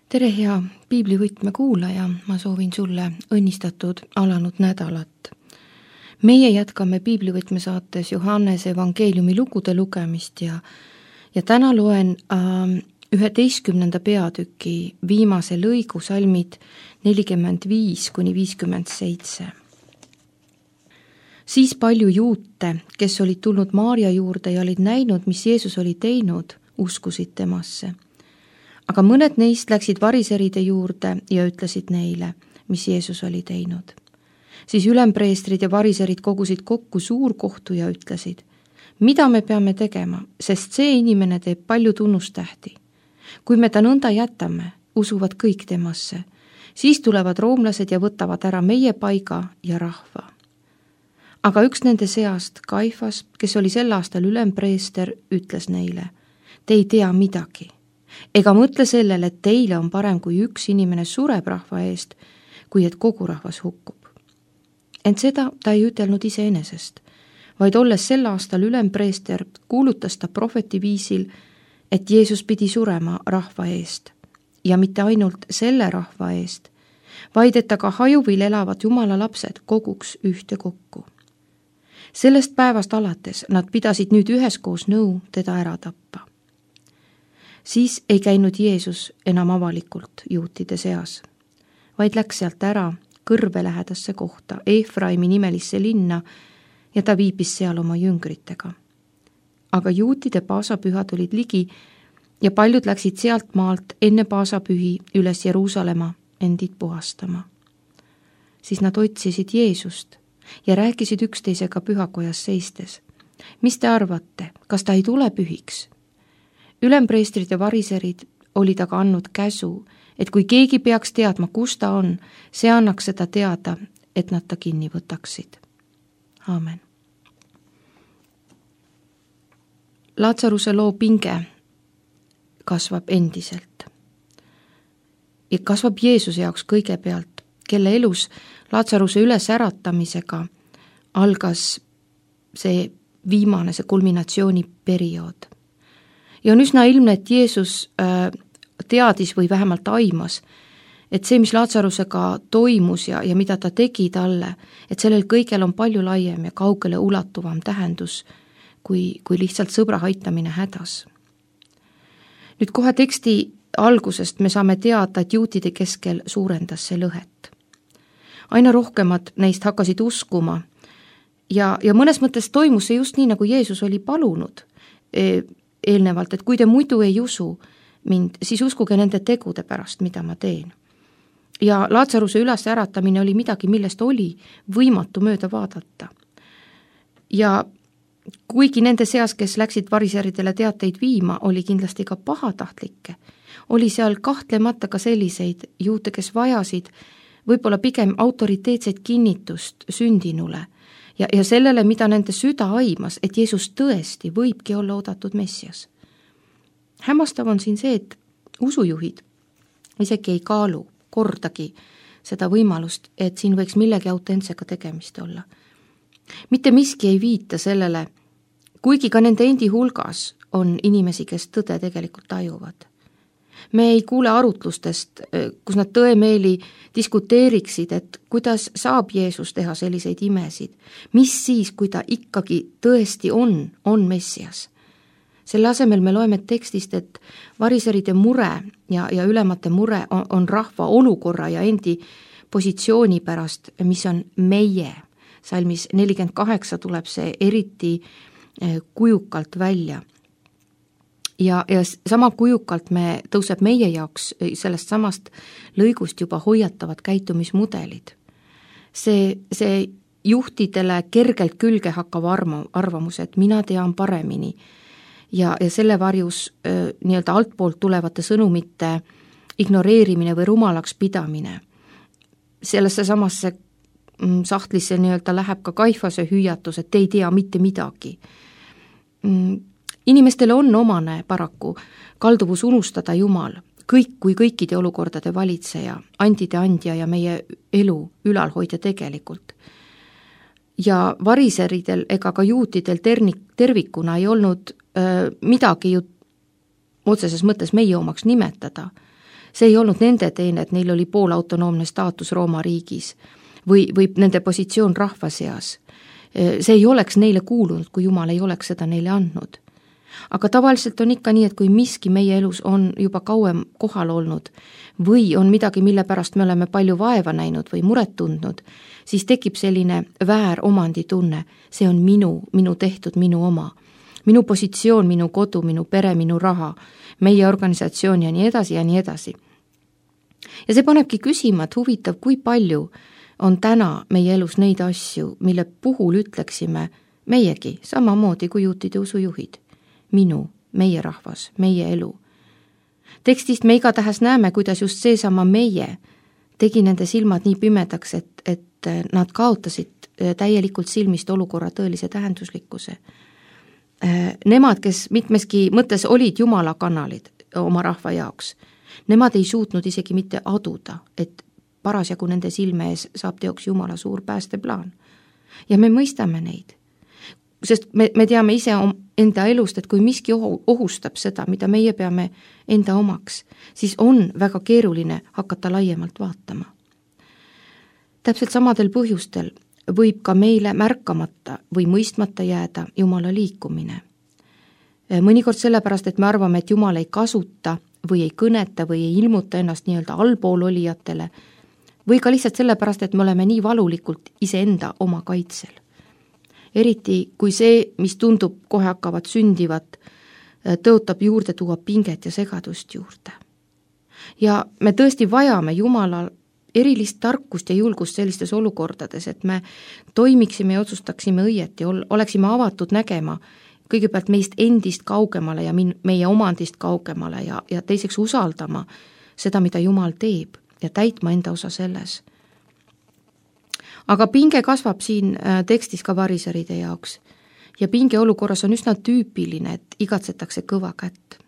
tere, hea piiblivõtme kuulaja, ma soovin sulle õnnistatud alanud nädalat. Meie jätkame piiblivõtme saates Johannese evangeeliumi lugude lugemist ja täna loen 11. peatüki viimase lõigu salmid 45–57. Siis palju juute, kes olid tulnud Maarja juurde ja olid näinud, mis Jeesus oli teinud, uskusid temasse. Aga mõned neist läksid variseride juurde ja ütlesid neile, mis Jeesus oli teinud. Siis ülempreestrid ja variserid kogusid kokku suurkohtu ja ütlesid, mida me peame tegema, sest see inimene teeb palju tunnustähti. Kui me ta nõnda jätame, usuvad kõik temasse, siis tulevad roomlased ja võtavad ära meie paiga ja rahva. Aga üks nende seast, Kaifas, kes oli sel aastal ülempreester, ütles neile, te ei tea midagi. Ega mõtle sellele, et teile on parem, kui üks inimene sureb rahva eest, kui et kogu rahvas hukkub. Ent seda ta ei ütelnud iseenesest, vaid olles sel aastal ülempreester, kuulutas ta prohveti viisil, et Jeesus pidi surema rahva eest ja mitte ainult selle rahva eest, vaid et ta ka hajuvil elavad Jumala lapsed koguks ühte kokku. Sellest päevast alates nad pidasid nüüd üheskoos nõu teda ära tappa. Siis ei käinud Jeesus enam avalikult juutide seas, vaid läks sealt ära kõrve lähedasse kohta, Efraimi nimelisse linna, ja ta viibis seal oma jüngritega. Aga juutide paasapühad olid ligi ja paljud läksid sealt maalt enne paasapühi üles Jeruusalemma endid puhastama. Siis nad otsisid Jeesust ja rääkisid üksteisega pühakojas seistes. Mis te arvate, kas ta ei tule pühiks? Ülempreestrid ja variserid olid aga andnud käsu, et kui keegi peaks teadma, kus ta on, see annaks seda teada, et nad ta kinni võtaksid. Aamen. Laatsaruse loo pinge kasvab endiselt. Ja kasvab Jeesuse jaoks kõigepealt, kelle elus Laatsaruse ülesäratamisega algas see viimane, see kulminatsiooniperiood. Ja on üsna ilmne, et Jeesus teadis või vähemalt aimas, et see, mis Laatsarusega toimus ja mida ta tegi talle, et sellel kõigel on palju laiem ja kaugele ulatuvam tähendus, kui lihtsalt sõbra aitamine hädas. Nüüd kohe teksti algusest me saame teada, et juutide keskel suurendas see lõhet. Aina rohkemad neist hakkasid uskuma ja mõnes mõttes toimus see just nii, nagu Jeesus oli palunud eelnevalt, et kui te muidu ei usu mind, siis uskuge nende tegude pärast, mida ma teen. Ja Laatsaruse ülesäratamine oli midagi, millest oli võimatu mööda vaadata. Ja kuigi nende seas, kes läksid variseridele teateid viima, oli kindlasti ka pahatahtlikke, oli seal kahtlemata ka selliseid juute, kes vajasid võib-olla pigem autoriteetset kinnitust sündinule ja sellele, mida nende süda aimas, et Jeesus tõesti võibki olla oodatud Messias. Hämmastav on siin see, et usujuhid isegi ei kaalu kordagi seda võimalust, et siin võiks millegi autentsega tegemist olla. Mitte miski ei viita sellele, kuigi ka nende endi hulgas on inimesi, kes tõde tegelikult tajuvad. Me ei kuule arutlustest, kus nad tõemeeli diskuteeriksid, et kuidas saab Jeesus teha selliseid imesid, mis siis, kui ta ikkagi tõesti on Messias. Selle asemel me loeme tekstist, et variseride mure ja ülemate mure on rahva olukorra ja endi positsiooni pärast, mis on meie. Salmis 48 tuleb see eriti kujukalt välja. Ja sama kujukalt tõuseb meie jaoks sellest samast lõigust juba hoiatavad käitumismudelid. See juhtidele kergelt külge hakkav arvamus, et mina tean paremini ja selle varjus nii-öelda altpoolt tulevate sõnumite ignoreerimine või rumalaks pidamine. Sellesse samasse sahtlisse nii-öelda läheb ka Kaifase hüüatus, et ei tea mitte midagi. Inimestele on omane paraku kalduvus unustada Jumal, kõik kui kõikide olukordade valitseja, andide andja ja meie elu ülalhoidja tegelikult. Ja variseridel ega ka juutidel tervikuna ei olnud midagi ju otseses mõttes meie omaks nimetada, See ei olnud nende teene, et neil oli poolautonoomne staatus Rooma riigis või nende positsioon rahva seas. See ei oleks neile kuulunud, kui Jumal ei oleks seda neile andnud. Aga tavaliselt on ikka nii, et kui miski meie elus on juba kauem kohal olnud või on midagi, mille pärast me oleme palju vaeva näinud või muret tundnud, siis tekib selline vääromandi-tunne. See on minu tehtud, minu oma. Minu positsioon, minu kodu, minu pere, minu raha, meie organisatsioon ja nii edasi ja nii edasi. Ja see panebki küsima, et huvitav, kui palju on täna meie elus neid asju, mille puhul ütleksime meiegi samamoodi kui juutide usujuhid. Meie rahvas, meie elu. Tekstist me igatahes näeme, kuidas just seesama meie tegi nende silmad nii pimedaks, et nad kaotasid täielikult silmist olukorra tõelise tähenduslikkuse. Nemad, kes mitmeski mõttes olid Jumala kanalid oma rahva jaoks, nemad ei suutnud isegi mitte aduda, et parasjagu nende silme ees saab teoks Jumala suur päästeplaan. Ja me mõistame neid, sest me teame ise enda elust, et kui miski ohustab seda, mida meie peame enda omaks, siis on väga keeruline hakata laiemalt vaatama. Täpselt samadel põhjustel võib ka meile märkamata või mõistmata jääda Jumala liikumine. Mõnikord sellepärast, et me arvame, et Jumal ei kasuta või ei kõneta või ei ilmuta ennast nii-öelda allpool olijatele, või ka lihtsalt sellepärast, et me oleme nii valulikult iseenda oma kaitsel. Eriti kui see, mis tundub kohe hakkavad sündivat, tõotab juurde tuua pinget ja segadust juurde. Ja me tõesti vajame Jumalal erilist tarkust ja julgust sellistes olukordades, et me toimiksime ja otsustaksime õieti, oleksime avatud nägema kõigepealt meist endist kaugemale ja meie omandist kaugemale ja teiseks usaldama seda, mida Jumal teeb ja täitma enda osa selles. Aga pinge kasvab siin tekstis ka variseride jaoks ja pinge olukorras on üsna tüüpiline, et igatsetakse kõva kätt.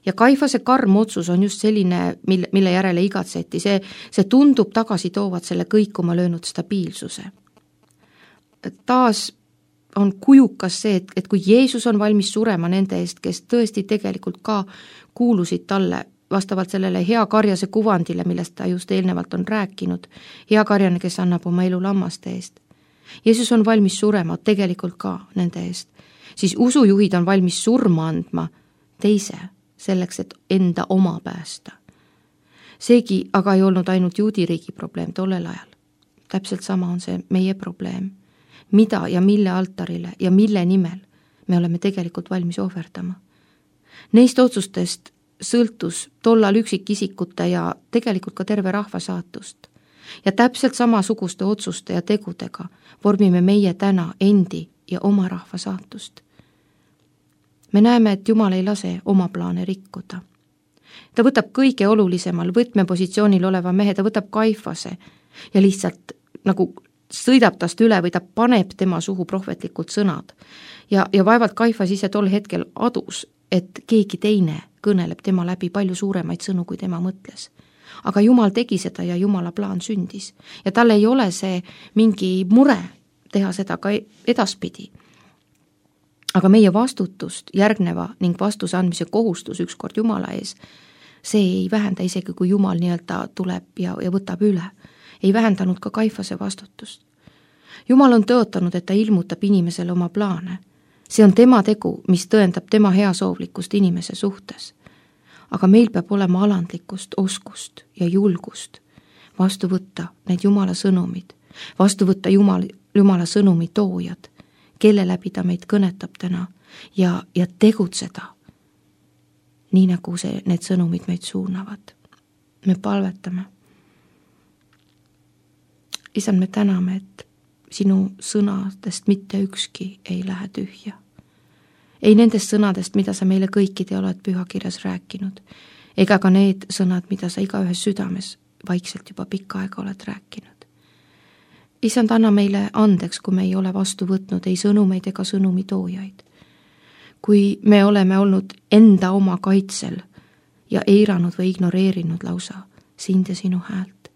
Ja Kaifase karm otsus on just selline, mille järele igatseti. See tundub tagasi toovat selle kõikuma löönud stabiilsuse. Taas on kujukas see, et kui Jeesus on valmis surema nende eest, kes tõesti tegelikult ka kuulusid talle vastavalt sellele hea karjase kuvandile, millest ta just eelnevalt on rääkinud, hea karjane, kes annab oma elu lammaste eest. Jeesus on valmis surema tegelikult ka nende eest. Siis usujuhid on valmis surma andma teise, selleks, et enda oma päästa. Seegi aga ei olnud ainult juudiriigi probleem tollel ajal. Täpselt sama on see meie probleem. Mida ja mille altarile ja mille nimel me oleme tegelikult valmis ohverdama. Neist otsustest sõltus tollal üksikisikute ja tegelikult ka terve rahva saatust. Ja täpselt samasuguste otsuste ja tegudega vormime meie täna endi ja oma rahva saatust. Me näeme, et Jumal ei lase oma plaane rikkuda. Ta võtab kõige olulisemal võtmepositsioonil oleva mehe, ta võtab Kaifase ja lihtsalt nagu sõidab tast üle või ta paneb tema suhu prohvetlikult sõnad. Ja vaevalt Kaifas ise tol hetkel adus, et keegi teine kõneleb tema läbi palju suuremaid sõnu, kui tema mõtles. Aga Jumal tegi seda ja Jumala plaan sündis. Ja tal ei ole see mingi mure teha seda ka edaspidi. Aga meie vastutust järgneva ning vastuse andmise kohustus ükskord Jumala ees, see ei vähenda isegi, kui Jumal nii-öelda tuleb ja võtab üle. Ei vähendanud ka Kaifase vastutust. Jumal on tõotanud, et ta ilmutab inimesele oma plaane. See on tema tegu, mis tõendab tema heasoovlikkust inimese suhtes. Aga meil peab olema alandlikkust, oskust ja julgust vastu võtta need Jumala sõnumid, vastu võtta Jumala sõnumi toojad, kelle läbi ta meid kõnetab täna ja tegutseda, nii nagu need sõnumid meid suunavad. Me palvetame. Isand, me täname, et sinu sõnadest mitte ükski ei lähe tühja. Ei nendest sõnadest, mida sa meile kõikide oled pühakirjas rääkinud, ega ka need sõnad, mida sa igaühes südames vaikselt juba pikka aega oled rääkinud. Isand, anna meile andeks, kui me ei ole vastu võtnud ei sõnumeid ega sõnumi toojaid. Kui me oleme olnud enda oma kaitsel ja eiranud või ignoreerinud lausa sind ja sinu häält.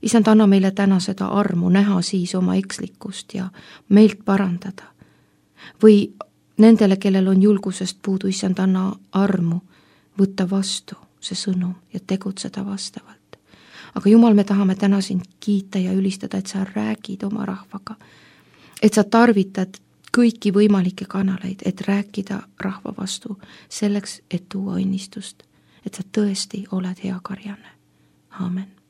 Isand, anna meile täna seda armu näha siis oma ekslikkust ja meelt parandada. Või nendele, kellel on julgusest puudu, Isand, anna armu võtta vastu see sõnum ja tegutseda vastavalt. Aga Jumal, me tahame täna sind kiita ja ülistada, et sa räägid oma rahvaga, et sa tarvitad kõiki võimalikke kanaleid, et rääkida rahva vastu, selleks, et tuua õnnistust, et sa tõesti oled hea karjane. Aamen.